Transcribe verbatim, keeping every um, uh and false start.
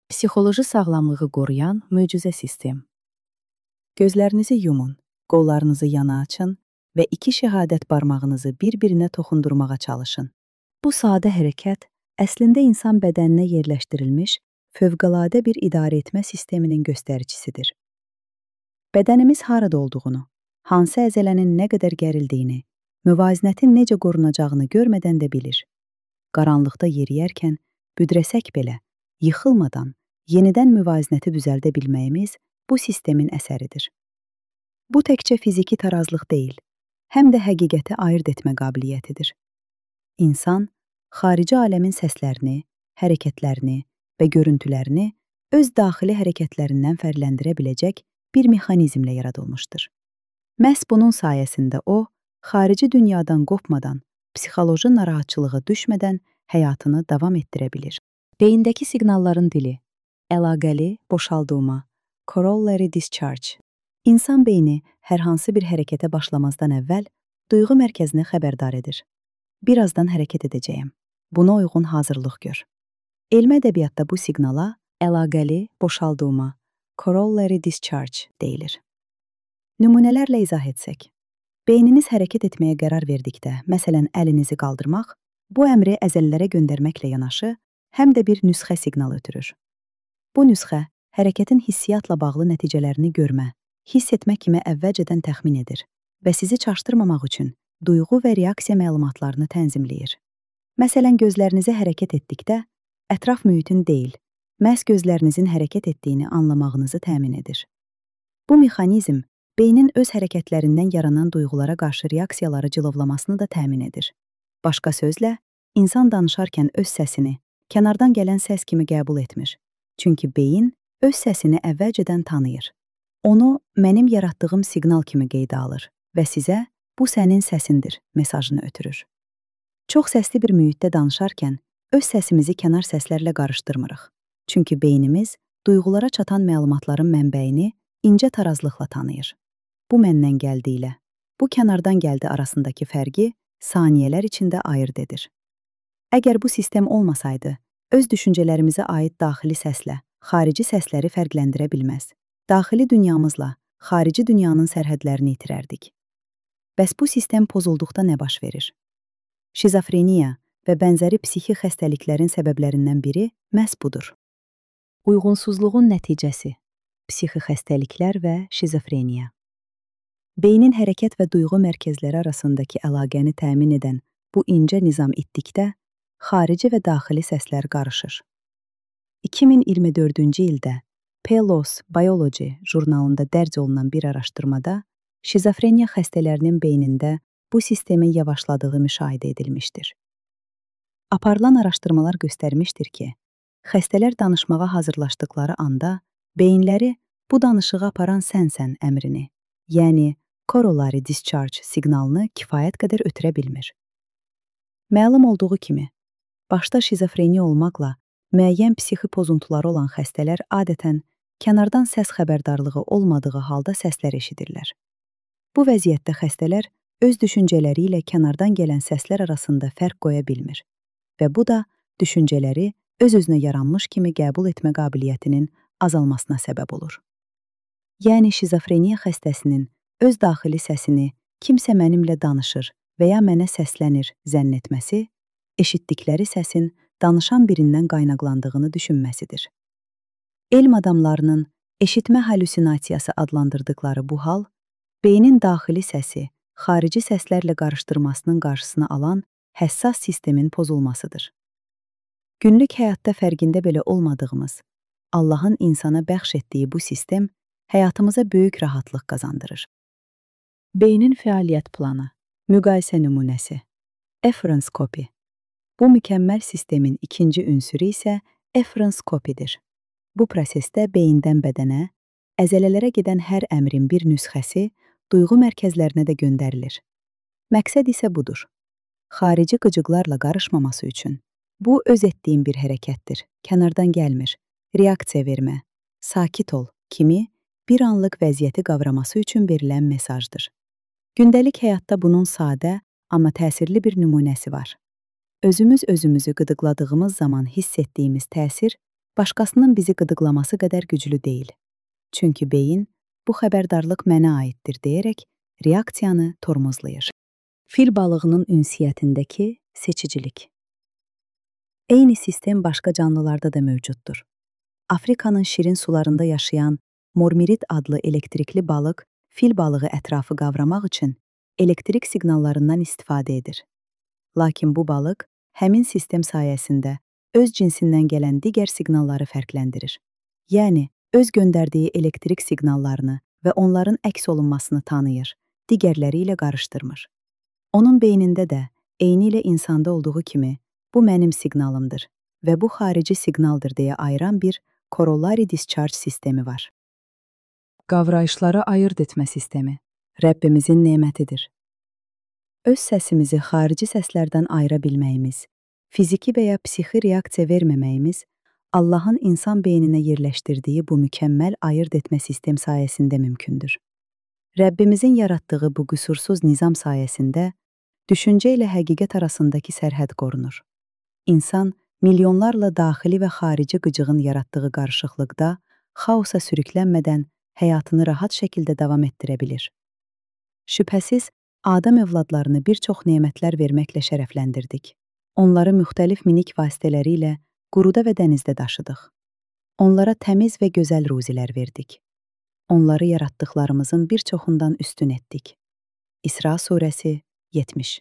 Psixoloji sağlamlığı qoruyan möcüzə sistem. Gözlərinizi yumun, qollarınızı yana açın və iki şəhadət barmağınızı bir-birinə toxundurmağa çalışın. Bu sadə hərəkət əslində insan bədəninə yerləşdirilmiş fövqəladə bir idarə etmə sisteminin göstəricisidir. Bədənimiz harada olduğunu, hansı əzələnin nə qədər gərildiyini, müvazinətin necə qorunacağını görmədən də bilir. Qaranlıqda yeriyərkən büdrəsək belə, yıxılmadan, yenidən müvazinəti düzəldə bilməyimiz bu sistemin əsəridir. Bu təkcə fiziki tarazlıq deyil, həm də həqiqəti ayırd etmə qabiliyyətidir. İnsan, xarici aləmin səslərini, hərəkətlərini və görüntülərini öz daxili hərəkətlərindən fərqləndirə biləcək bir mexanizmlə yaradılmışdır. Məhz bunun sayəsində o, xarici dünyadan qopmadan, psixoloji narahatçılığa düşmədən həyatını davam etdirə bilir. Beyindəki siqnalların dili, əlaqəli boşaldılma, corollary discharge. İnsan beyni hər hansı bir hərəkətə başlamazdan əvvəl duyğu mərkəzini xəbərdar edir. Birazdan hərəkət edəcəyəm. Buna uyğun hazırlıq gör. Elmi ədəbiyyatda bu siqnala əlaqəli boşaldılma, corollary discharge deyilir. Nümunələrlə izah etsək. Beyniniz hərəkət etməyə qərar verdikdə, məsələn, əlinizi qaldırmaq, bu əmri əzələlərə göndərməklə yanaşı, həm də bir nüsxə siqnalı ötürür. Bu nüsxə hərəkətin hissiyatla bağlı nəticələrini görmə, hiss etmə kimi əvvəlcədən təxmin edir və sizi çaşdırmamaq üçün duyğu və reaksiya məlumatlarını tənzimləyir. Məsələn, gözlərinizi hərəkət etdikdə, ətraf mühitin deyil, məhz gözlərinizin hərəkət etdiyini anlamağınızı təmin edir. Bu mexanizm beynin öz hərəkətlərindən yaranan duyğulara qarşı reaksiyaları cilovlamasını da təmin edir. Başqa sözlə, insan danışarkən öz səsini kənardan gələn səs kimi qəbul etmir. Çünki beyin öz səsini əvvəlcədən tanıyır. Onu mənim yaratdığım siqnal kimi qeydə alır və sizə bu sənin səsindir mesajını ötürür. Çox səsli bir mühitdə danışarkən öz səsimizi kənar səslərlə qarışdırmırıq. Çünki beynimiz duyğulara çatan məlumatların mənbəyini incə tarazlıqla tanıyır. Bu məndən gəldi ilə, bu kənardan gəldi arasındakı fərqi saniyələr içində ayırd edir. Əgər bu sistem olmasaydı, öz düşüncələrimizə aid daxili səslə xarici səsləri fərqləndirə bilməz. Daxili dünyamızla xarici dünyanın sərhədlərini itirərdik. Bəs bu sistem pozulduqda nə baş verir? Şizofreniya və bənzəri psixi xəstəliklərin səbəblərindən biri məhz budur. Uyğunsuzluğun nəticəsi, psixi xəstəliklər və şizofreniya. Beynin hərəkət və duyğu mərkəzləri arasındakı əlaqəni təmin edən bu incə nizam itdikdə, xarici və daxili səslər qarışır. iki min iyirmi dördüncü ildə PLOS Biology jurnalında dərc olunan bir araşdırmada şizofreniya xəstələrinin beynində bu sistemin yavaşladığı müşahidə edilmişdir. Aparılan araşdırmalar göstərmişdir ki, xəstələr danışmağa hazırlaşdıqları anda beyinləri bu danışığı aparan sənsən əmrini, yəni corollary discharge siqnalını kifayət qədər ötürə bilmir. Məlum olduğu kimi, başda şizofreniya olmaqla müəyyən psixi pozuntuları olan xəstələr adətən kənardan səs xəbərdarlığı olmadığı halda səslər eşidirlər. Bu vəziyyətdə xəstələr öz düşüncələri ilə kənardan gələn səslər arasında fərq qoya bilmir və bu da düşüncələri öz-özünə yaranmış kimi qəbul etmə qabiliyyətinin azalmasına səbəb olur. Yəni şizofreniya xəstəsinin öz daxili səsini kimsə mənimlə danışır və ya mənə səslənir zənn etməsi, eşitdikləri səsin danışan birindən qaynaqlandığını düşünməsidir. Elm adamlarının eşitmə halüsinasiyası adlandırdıqları bu hal, beynin daxili səsi xarici səslərlə qarışdırmasının qarşısını alan həssas sistemin pozulmasıdır. Günlük həyatda fərqində belə olmadığımız, Allahın insana bəxş etdiyi bu sistem həyatımıza böyük rahatlıq qazandırır. Beynin fəaliyyət planı, müqayisə nümunəsi, efferenskopi. Bu mükəmməl sistemin ikinci ünsürü isə efferenskopidir. Bu prosesdə beyindən bədənə, əzələlərə gedən hər əmrin bir nüsxəsi duyğu mərkəzlərinə də göndərilir. Məqsəd isə budur. Xarici qıcıqlarla qarışmaması üçün bu öz etdiyim bir hərəkətdir, kənardan gəlmir, reaksiya vermə, sakit ol kimi bir anlıq vəziyyəti qavraması üçün verilən mesajdır. Gündəlik həyatda bunun sadə, amma təsirli bir nümunəsi var. Özümüz özümüzü qıdıqladığımız zaman hiss etdiyimiz təsir başqasının bizi qıdıqlaması qədər güclü deyil. Çünki beyin bu xəbərdarlıq mənə aiddir deyərək reaksiyanı tormozlayır. Fil balığının ünsiyyətindəki seçicilik. Eyni sistem başqa canlılarda da mövcuddur. Afrikanın şirin sularında yaşayan mormirit adlı elektrikli balıq fil balığı ətrafı qavramaq üçün elektrik siqnallarından istifadə edir. Lakin bu balıq həmin sistem sayəsində öz cinsindən gələn digər siqnalları fərqləndirir. Yəni, öz göndərdiyi elektrik siqnallarını və onların əks olunmasını tanıyır, digərləri ilə qarışdırmır. Onun beynində də eyni ilə insanda olduğu kimi bu mənim siqnalımdır və bu xarici siqnaldır deyə ayıran bir corollary discharge sistemi var. Qavrayışları ayırd etmə sistemi Rəbbimizin nemətidir. Öz səsimizi xarici səslərdən ayıra bilməyimiz, fiziki və ya psixi reaksiya verməməyimiz Allahın insan beyninə yerləşdirdiyi bu mükəmməl ayırd etmə sistem sayəsində mümkündür. Rəbbimizin yaratdığı bu qüsursuz nizam sayəsində düşüncə ilə həqiqət arasındakı sərhəd qorunur. İnsan milyonlarla daxili və xarici qıcığın yaratdığı qarışıqlıqda xaosa sürüklənmədən həyatını rahat şəkildə davam etdirə bilir. Şübhəsiz, Adəm övladlarını bir çox nemətlər verməklə şərəfləndirdik. Onları müxtəlif minik vasitələri ilə quruda və dənizdə daşıdıq. Onlara təmiz və gözəl ruzilər verdik. Onları yaratdıqlarımızın bir çoxundan üstün etdik. İsra surəsi yetmiş.